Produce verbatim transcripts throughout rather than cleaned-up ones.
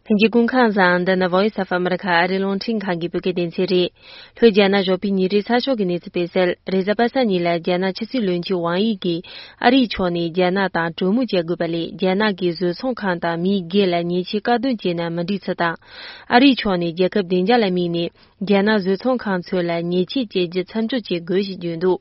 ལྷན་རྒྱས་སྐུ་ཁམས་བཟང་། འདི་ནི་Voice of America ཨ་རིའི་རླུང་འཕྲིན་ཁང་གི་བོད་སྐད་སྡེ་ཚན་རེད། ལྷོ་རྒྱ་ནག་བཞི་པའི་ཉིན་རེའི་ཚགས་ཤོག་གི་གནས་ཚུལ་སྤེལ་གསལ། རེས་གཟའ་པ་སངས་ཉིན་ལ་རྒྱ་ནག་ཕྱི་སྲིད་བློན་ཆེན་ཝང་དབྱི་གིས་ཨ་རིའི་ཕྱོགས་ནས་རྒྱ་ནག་དང་གྲོས་མོལ་བྱེད་དགོས་པ་ལས། རྒྱ་ནག་གི་བཟོ་ཚོང་ཁང་དང་མི་སྒེར་ལ་ཉེས་ཆད་བཀག་སྡོམ་བྱས་ན་མི་འགྲིག་ཚུལ་དང་། ཨ་རིའི་ཕྱོགས་ནས་རྒྱལ་ཁབ་བདེ་འཇགས་ལ་དམིགས་ནས་རྒྱ་ནག་བཟོ་ཚོང་ཁང་ཚོ་ལ་ཉེས་ཆད་བཅད་རྒྱུ་མཚམས་འཇོག་བྱེད་དགོས་ཞེས་བརྗོད་འདུག་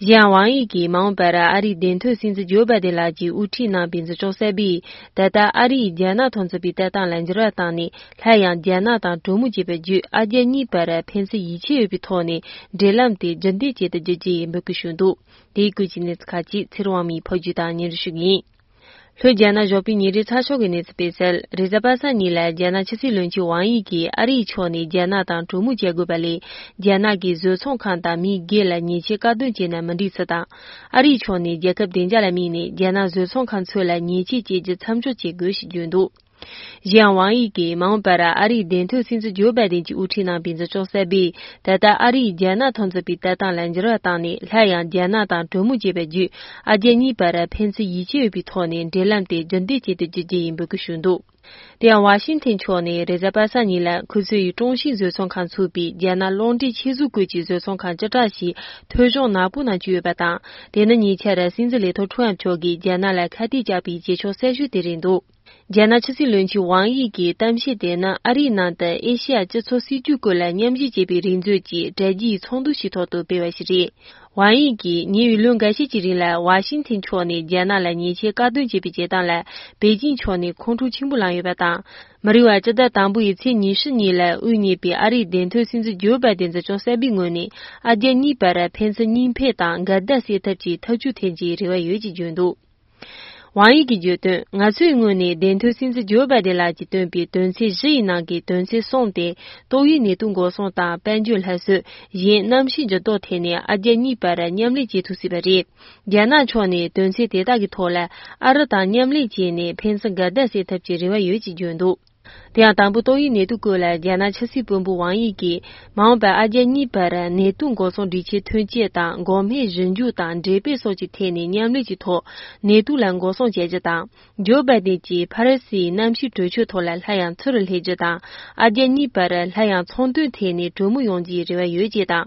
གཞན་ཝང་དབྱི་གིས་མ་འོངས་པར་ཨ་རིའི་བདེན་དོན་སྲིད་འཛིན་ཇོ་བྷའི་ཌེན་ལགས་ཀྱིས་དབུ་ཁྲིད་གནང་པའི་འཛིན་སྐྱོང་གསར་པས། ད་ལྟ་ཨ་རིས་རྒྱ་ནག་ཐོག་འཛིན་པའི་ལྟ་སྟངས་ལ་འགྱུར་བ་བཏང་ནས། སླར་ཡང་རྒྱ་ནག་དང་གྲོས་མོལ་བྱས་པ་བརྒྱུད། ཨ་རྒྱ་གཉིས་བར་ཕན་ཚུན་ཡིད་ཆེས་ཡོད་པའི་ཐོག་ནས་འབྲེལ་ལམ་དེ་རྒྱུན་ལྡན་བྱེད་ཐུབ་རྒྱུ་བཅས་འབོད་སྐུལ་ཞུས་འདུག་དེའི་སྐོར་གྱི་གནས་ཚུལ་ཁག་ཅིག་ཚེ་རིང་དབང་མོས་ཕབ་སྒྱུར་དང་སྙན་སྒྲོན་ཞུ་གི་ཡིན། ལྷོ་རྒྱ་ནག་བཞི་པའི་ཉིན་རེའི་ཚགས་ཤོག་གི་གནས་ཚུལ་སྤེལ་གསལ། རེས་གཟའ་པ་སངས་ཉིན་ལ་རྒྱ་ནག་ཕྱི་སྲིད་བློན་ཆེན་ཝང་དབྱི་གིས་ཨ་རིའི་ཕྱོགས་ནས་རྒྱ་ནག་དང་གྲོས་མོལ་བྱེད་དགོས་པ་ལས། རྒྱ་ནག་གི་བཟོ་ཚོང་ཁང་དང་མི་སྒེར་ལ་ཉེས་ཆད་བཀག་སྡོམ་བྱས་ན་མི་འགྲིག་ཚུལ་དང་། ཨ་རིའི་ཕྱོགས་ནས་རྒྱལ་ཁབ་བདེ་འཇགས་ལ་དམིགས་ནས་རྒྱ་ནག་བཟོ་ཚོང་ཁང་ཚོ་ལ་ཉེས་ཆད་བཅད་རྒྱུ་མཚམས་འཇོག་བྱེད་དགོས་ཞེས་བརྗོད་འདུག་གཞན་ཝང་དབྱི་གིས་མ་འོངས་པར་ཨ་རིའི་བདེན་དོན་སྲིད་འཛིན་ཇོ་བྷའི་ཌེན་གྱིས་དབུ་ཁྲིད་གནང་པའི་འཛིན་སྐྱོང་གསར་པས། ད་ལྟ་ཨ་རིས་རྒྱ་ནག་ཐོག་འཛིན་པའི་ལྟ་སྟངས་ལ་འགྱུར་བ་བཏང་ནས། སླར་ཡང་རྒྱ་ནག་དང་གྲོས་མོལ་བྱས་པ་བརྒྱུད། ཨ་རྒྱ་གཉིས་བར་ཕན་ཚུན་ཡིད་ཆེས་ཡོད་པའི་ཐོག་ནས་འབྲེལ་ལམ་དེ་རྒྱུན་ལྡན་བྱེད་ཐུབ་རྒྱུ་བཅས་ཡིན་འབོད་སྐུལ་ཞུས་འདུག་དེ་ཡང་ཝ་ཤིང་ཐན་ཕྱོགས་ནས་རེས་གཟའ་པ་སངས་ཉིན་ལ་ཁོ་ཚོའི་ཀྲུང་ཤིན་བཟོ་ཚོང་ཁང་ཚུགས་པའི་རྒྱ་ནག་གློག་འདྲེན་ཆེད་བཟོ་སྐོར་གྱི་བཟོ་ཚོང་ཁང་བཅུ་ཕྲག་ཞིག་ཐོལ་བྱུང་ནག་པོ་ནང་བཅུག་ཡོད་པ་དང་། དེ་ནི་ཉེ་ཆར་སྲིད་འཛིན་ལས་ཐོག་ཁྲུའུ་ཨམ་མཆོག་གིས་རྒྱ་ནག་ལ་ཁ་གཏད་བཅག་པའི་བྱེད་ཕྱོགས་གསར་ཤོས་དེ་རེད་འདུག་རྒྱ་ནག་ཕྱི་སྲིད་བློན་ཆེན་ཝང་དབྱི་གི་གཏམ་བཤད་དེ་ནི་ཨ་རིའི་ནང་དུ་ཨེ་ཤེ་ཡ་སྤྱི་ཚོགས་སྲིད་ཇུས་སྐོར་ལ་མཉམ་ཞུགས་བྱེད་པའི་རེ་མཛོད་ཀྱི་དྲ་རྒྱའི་ཚོགས་འདུ་ཞིག་ཐོག་ཏུ་སྤེལ་བ་ཞིག་རེད། ཝང་དབྱི་གིས་ཉེ་བའི་ལོ་འགའ་ཤས་ཀྱི་རིང་ལ་ཝ་ཤིང་ཐན་ཕྱོགས་ནས་རྒྱ་ནག་ལ་ཉེས་ཆད་བཀག་སྡོམ་བྱས་པའི་བྱེད་སྟངས་ལ་པེ་ཅིང་ཕྱོགས་ནས་ཁོང་ཁྲོ་ཆེན་པོ་ལངས་ཡོད་པ་དང་། མི་རིང་བར་སྤྱི་ཟླ་དང་པོའི་ཚེས་ཉི་ཤུ་ཉིན་ལ་དབུ་བརྙེས་པའི་ཨ་རིའི་བདེན་དོན་སྲིད་འཛིན་ཇོ་བྷའི་ཌེན་འཛིན་སྐྱོང་གསར་པའི་ངོས་ནས། ཨ་རྒྱ་གཉིས་བར་ཕན་ཚུན་གཉིས་ཕན་དང་འགལ་ཟླ་སེལ་ཐབས་ཀྱི་ཐབས་ཇུས་འཐེན་རྒྱུའི་རེ་བ་ཡོད་ཅེས་བརྗོད་འདུག་ཝང་དབྱི་གིས་བརྗོད་དོན། ང་ཚོའི་ངོས་ནས་བདེན་དོན་སྲིད་འཛིན་ཇོ་བྷའི་ཌེན་ལགས་ཀྱིས་བཏོན་པའི་དོན་ཚན་བཞི་ཡི་ནང་གི་དོན་ཚན་གསུམ་སྟེ། ཏོག་དབྱིབས་ནད་དུག་འགོག་སྲུང་དང་དཔལ་འབྱོར་སླར་གསོ། གཞན་གནམ་གཤིས་འགྱུར་ལྡོག་ཐད་ནས་ཨ་རྒྱ་གཉིས་བར་མཉམ་ལས་བྱེད་ཐུབ་སྲིད་པ་རེད། རྒྱ་ནག་ཕྱོགས་ནས་དོན་ཚན་དེ་དག་གི་ཐོག་ལ་ཨ་རི་དང་མཉམ་ལས་བྱས་ནས་ཕན་ཚུན་འགལ་ཟླ་སེལ་ཐབས་ཀྱི་རེ་བ་ཡོད་ཅེས་བརྗོད་འདུག་དེ་ཡང་དང་པོ་ཏོག་དབྱིབས་ནད་དུག་སྐོར་ལ་རྒྱ་ནག་ཕྱི་སྲིད་དཔོན་པོ་ཝང་དབྱི་གིས། མ་འོངས་པར་ཨ་རྒྱ་གཉིས་བར་ནད་དུག་འགོག་སྲུང་སྒྲིག་ཆས་ཐོན་སྐྱེད་དང་། འགོག་སྨན་ཞིབ་འཇུག་དང་འགྲེམས་སྤེལ་སོགས་ཀྱི་ཐད་ནས་མཉམ་ལས་ཀྱི་ཐོག་ནད་དུག་ལ་འགོག་སྲུང་བྱ་རྒྱུ་དང་། ཇོ་བྷའི་ཌེན་གྱིས་ཕ་རི་སིའི་གནམ་གཤིས་གྲོས་ཆོད་ཐོག་ལ་སླར་ཡང་ཚུར་སླེབས་རྒྱུ་དང་། ཨ་རྒྱ་གཉིས་བར་སླར་ཡང་ཚོང་དོན་ཐད་ནས་གྲོས་མོལ་ཡོང་རྒྱུའི་རེ་བ་ཡོད་ཅེས་དང་།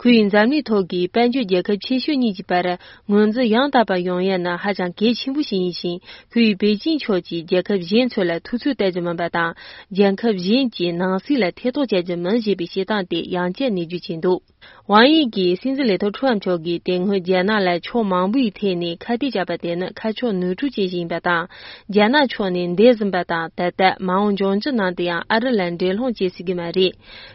ཁོས་འཛམ་གླིང་ཐོག་གི་དཔལ་འབྱོར་རྒྱལ་ཁབ་ཆེ་ཤོས་གཉིས་ཀྱི་བར་ངོས་འཛིན་ཡང་དག་པ་ཡོང་ཡ་ནི་ཧ་ཅང་གལ་ཆེན་པོ་ཞིག་ཡིན་ཞིང་། ཁོས་པེ་ཅིང་ཕྱོགས་ཀྱིས་རྒྱལ་ཁབ་གཞན་ཚོ་ལ་ཐུབ་ཚོད་གཏད་རྒྱུ་མིན་པ་དང་། རྒྱལ་ཁབ་གཞན་གྱི་ནང་སྲིད་ལ་ཐེ་གཏོགས་བྱ་རྒྱུ་མིན་ཞེས་པའི་བཤད་སྟངས་དེ་ཡང་བསྐྱར་ནན་བརྗོད་བྱས་འདུག་ཝང་དབྱི་གིས་སྲིད་འཛིན་ལས་ཐོག་ཁྲུའུ་ཨམ་མཆོག་གིས་དེ་སྔོན་རྒྱ་ནག་ལ་ཕྱོགས་མང་པོའི་ཐད་ནས་ཁ་གཏད་བཅག་པ་དེ་ནི་ཁ་ཕྱོགས་ནོར་འཁྲུལ་ཅན་ཞིག་ཡིན་པ་དང་། རྒྱ་ནག་ཕྱོགས་ནས་འདས་ཟིན་པ་དང་། ད་ལྟ་མ་འོངས་འབྱུང་འགྱུར་ནང་དུ་ཡང་ཨ་རི་ལ་འགྲན་སློང་བྱེད་སྲིད་ཀྱི་མ་རེད།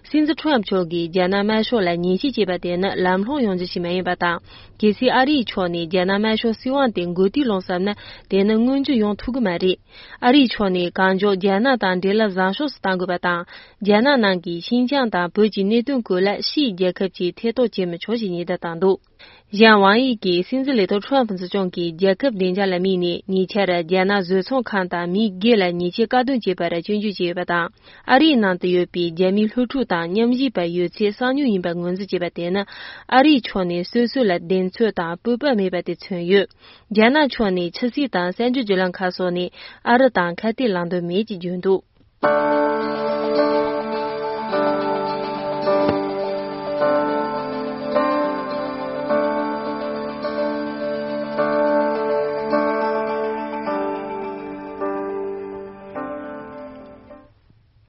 སྲིད་འཛིན་ཁྲུའུ་ཨམ་མཆོག་གིས་རྒྱ་ནག་དམར་ཤོག་ལ་ཉེས་ཆད་བཅད་པ་དེ་ནི་ལམ་ལྷོང་ཡོང་རྒྱུ་ཞིག་མ་ཡིན་པ་དང་། གལ་སྲིད་ཨ་རིའི་ཕྱོགས་ནས་རྒྱ་ནག་དམར་ཤོག་སྲིད་དབང་དེ་མགོ་རྟིང་སློག་བསམ་ན། དེ་ནི་མངོན་འགྱུར་ཡོང་ཐུབ་ཀྱི་མ་རེད། ཨ་རིའི་ཕྱོགས་ནས་གང་མགྱོགས་རྒྱ་ནག་དང་འབྲེལ་ལམ་བཟང་ཤོས་སུ་གཏང་དགོས་པ་དང་། རྒྱ་ནག་ནང་གི་ཤིན་ཅང་དང་བོད་ཀྱི་གནད་དོན་སྐོར་ལ་ཕྱིའི་རྒྱལ་ཁབ་ཀྱིས་ཐེ་གཏོགས་བྱེད་མི་ཆོག་ཅེས་ཉེན་བརྡ་བཏང་འདུག་གཞན་ཝང་དབྱི་གིས་སྲིད་འཛིན་ལས་ཐོག་ཁྲུའུ་ཨམ་འཛིན་སྐྱོང་གིས་རྒྱལ་ཁབ་བདེ་འཇགས་ལ་དམིགས་ནས་ཉེ་ཆར་རྒྱ་ནག་བཟོ་ཚོང་ཁང་དང་མི་སྒེར་ལ་ཉེས་ཆད་བཀག་སྡོམ་བྱས་པར་སྐྱོན་བརྗོད་བྱས་ཡོད་པ་དང་། ཨ་རིའི་ནང་དུ་ཡོད་པའི་རྒྱ་མིའི་སློབ་ཕྲུག་དང་མཉམ་ཞུགས་པ་ཡོད་ཚད་གསང་མྱུལ་ཡིན་པ་ངོས་འཛིན་བྱས་པ་དེ་ནི། ཨ་རིའི་ཕྱོགས་ནས་སོ་སོ་ལ་གདེང་ཚོད་དང་སྤོབས་པ་མེད་པ་དེ་མཚོན་ཡོད། རྒྱ་ནག་ཕྱོགས་ནས་ཕྱི་སྲིད་དང་གསར་འགྱུར་བརྒྱུད་ལམ་ཁག་སོགས་ནས་ཨ་རི་དང་ཁ་གཏད་ལངས་འདོད་མེད་ཅེས་བརྗོད་འདུག